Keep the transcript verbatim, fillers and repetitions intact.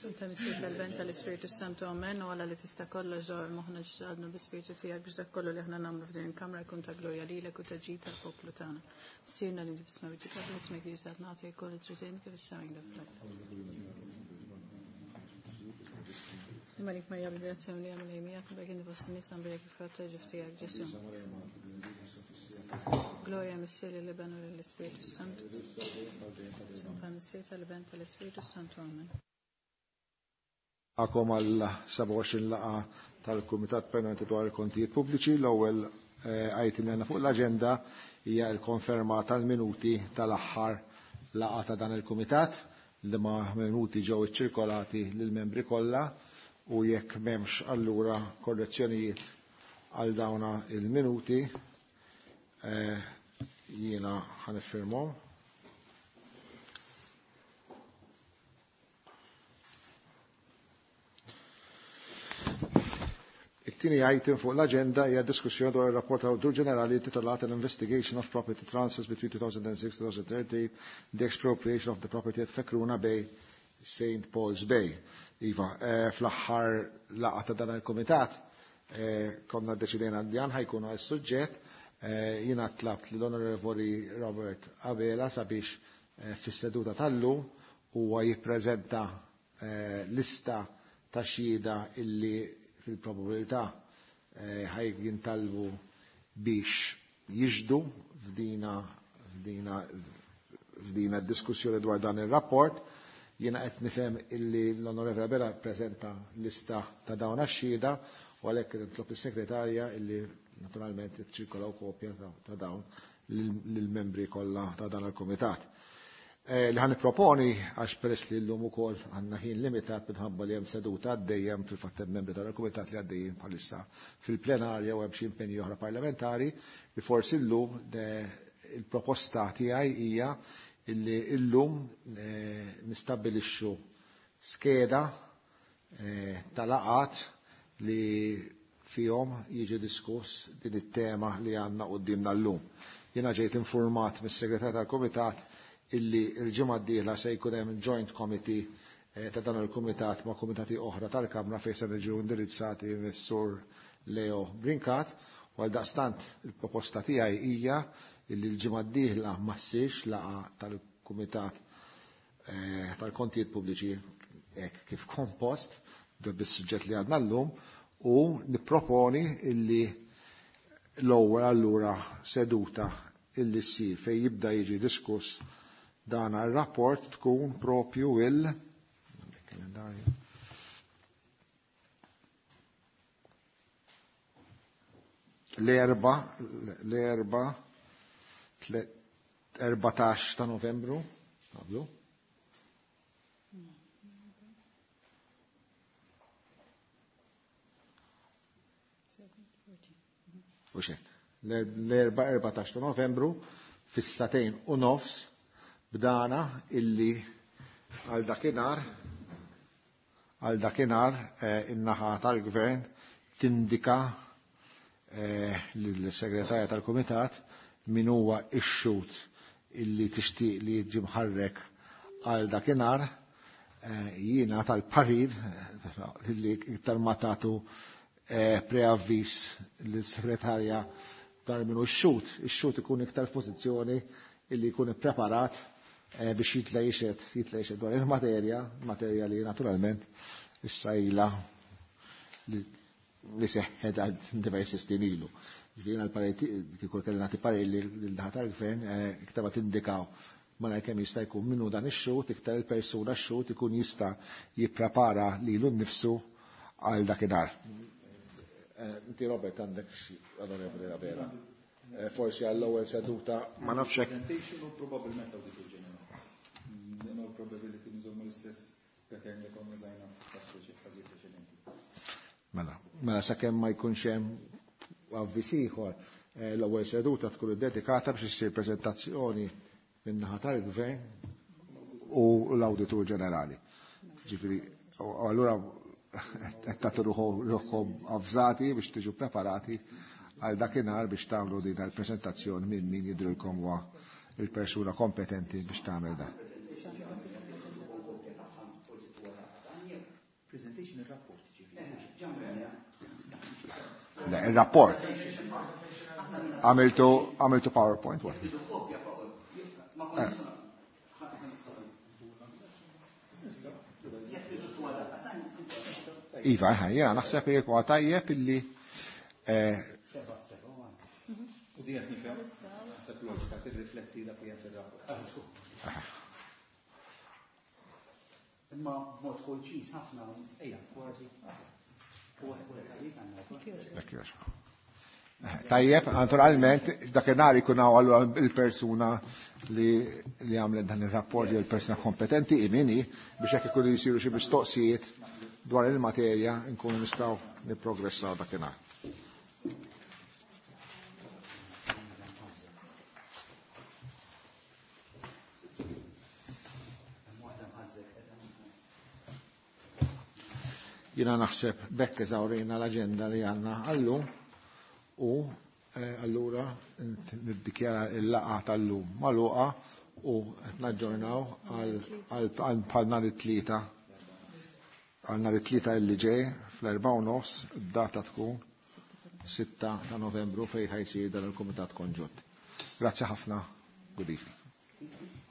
Tal-Missier tal-Ben tal-Ispirtu Santu Amen u għala li tista' kollox ġor moħħna ġadnu bi-Spiritu tiegħek biex dak kollu li aħna nagħmlu f'din il-kamra jkun ta' glorja lilek u ta' ġid tal-poplu tagħna. Missierna li fis-sma titqaddes ismek li jisat nagħti jkoll it-tritien kif is-sema fl-art. Malik Marja bil-grazzja li għamil miegħek berkin fost in-nies għambrek il-frott ta' ġuf tiegħek Ġesu. Gloria Missier lill-Iben u lill-Ispirtu Santu. Tal-Missier tal-Iben tal-Ispirtu Santu Amen. Għakom għal sebgħa u għoxrin laqa tal-Kumitat Permanenti dwar il-Kontijiet Pubbliċi. L-ewwel item li għandna fuq l-aġenda hija l-konferma tal-minuti tal-aħħar laqa ta' dan il-Kumitat, li ma minuti ġew iċċirkolati lill-membri kollha u jekk m'hemmx allura korrezzjonijiet għal dawna il-minuti jiena ħaniffirmhom. It-tieni item fuq l-aġenda hija diskussjoni dwar ir-rapport tal-Awditur Ġenerali intitolat An Investigation of Property Transfers between two thousand and six and two thousand thirteen, the Expropriation of the Property at Fekruna Bay, Saint Paul's Bay. Iva, fl-aħħar laqgħa ta' dan il-kumitat konna ddeċidejna li dan ħajkun għas-suġġett. Jiena tlabt lill-Onorevoli Robert Abela sabiex fis-seduta tal-lum huwa jippreżenta lista ta' xhieda illi fil-probabilità ħaj jintalbu biex jiġdu f'dina, f'dina, f'dina diskussjoni dwar dan ir-rapport. Jiena qed nifhem illi l-Onorevoli Abela ppreżenta lista ta' dawn għax-xhieda u għalhekk nitlob is-segretarja illi naturalment iċċirkolaw kopja ta' dawn lill-membri kollha ta' dan il-kumitat. Li ħan nipproponi, għax peress li llum ukoll għandna ħin limitat minħabba li hemm seduta għaddejjem fil-fatt hemm membri tal-kumitat li għaddejjin bħalissa fil-plenarja u hemm xi impenji oħra parlamentari, li forsi llum il-proposta tiegħi hija illi llum nistabbilixxu skeda ta' laqgħat li fihom jiġi diskuss din it-tema li għandna quddiemna llum. Jiena ġejt informat mis-segretarju tal-kumitat illi l-ġimgħa d-dieħla se jkun hemm joint committee ta' dan il-kumitat ma' kumitati oħra tal-Kamra fejn se niġu indirizzati mis-Sur Leo Brincat, u għal daqstant il-proposta tiegħi hija illi l-ġimgħa d-dieħla ma ssirx laqgħa tal-Kumitat tal-Kontijiet Pubbliċi hekk kif kompost bis-suġġett li għadna llum, u nipproponi illi l-ewwel allura seduta illi ssir fejn jibda jiġi diskuss dan ir-rapport tkun propju il kalendarju l-erba l-erba erbatax ta' Novembru, qablu. U xek, l-erba erbatax ta' Novembru fis-satejn u nofs bdana illi għal dakinhar għal dakinhar in-naħa tal-gvern tindika lill-segretarja tal-kumitat min huwa x-xhud illi tixtieq li jiġi mħarrek għal dakinhar. Jiena tal-parir illi iktar ma tagħtu preavviż lill-segretarja dar min hu x-xhud, ix-xhud ikun iktar f'pożizzjoni illi jkun ippreparat biex jitla jixed, jitla jixed dwar il-materja, materja li naturalment issa ilha li seħħet għal diversi snin ilu. Ġifieri għal-parir kieku kelli nagħti parir lil naħa tal-gvern iktar ma tindikaw malajr kemm jista' jkun minnu dan ix-xhud, iktar il-persuna x-xhud ikun jista' jipprepara lilu nnifsu għal dakinhar. Inti Robert għandek xi Onorevoli Abela. Forsi għall-ewwel seduta ma nafx hekk. Presentation u probabbilment l-Awditur Ġenerali. In all probability nżommu l-istess pattern li konna użajna f'każ preċedenti. Mela, mela sakemm ma jkunx hemm avviż ieħor, l-ewwel seduta tkun iddedikata biex issir preżentazzjoni min-naħa tal-Gvern u l-Awditur Ġenerali. Ġifieri, allura qed tagħtu ruħkom avżati biex tiġu preparati għal dakinhar biex tagħmlu din il-preżentazzjoni minn min jidrilkom huwa il-persuna kompetenti biex tagħmel dan. Il-rapport. Għamiltu għamiltu PowerPoint, what? Eh. Iva, jena naħseb jek huwa tajjeb illi eh, U di qed nifhem, naħseb l-website tirrifletti dak li hemm fir-rapport. Imma b'mod konċis ħafna, ejja, kważi. Tajjeb, naturalment, dakinhar ikun hawn allura il-persuna li li għamlet dan ir-rapport jew il-persuna kompetenti imini biex hekk ikunu jsiru xi mistoqsijiet dwar il-materja nkunu nistgħu nipprogressaw dakinhar. Jiena naħseb bekk eżawrejna l-aġenda li għandna għallum u eh, allura niddikjara il-laqgħa tal-lum magħluqa u qed naġġornaw għal bħal nhar it-tlieta għal nhar it-tlieta illi ġej fl-erbgħa u nofs id-data tkun sitta ta' Novembru fejn ħajsir dan il-Kumitat Konġunt. Grazzi ħafna, good evening.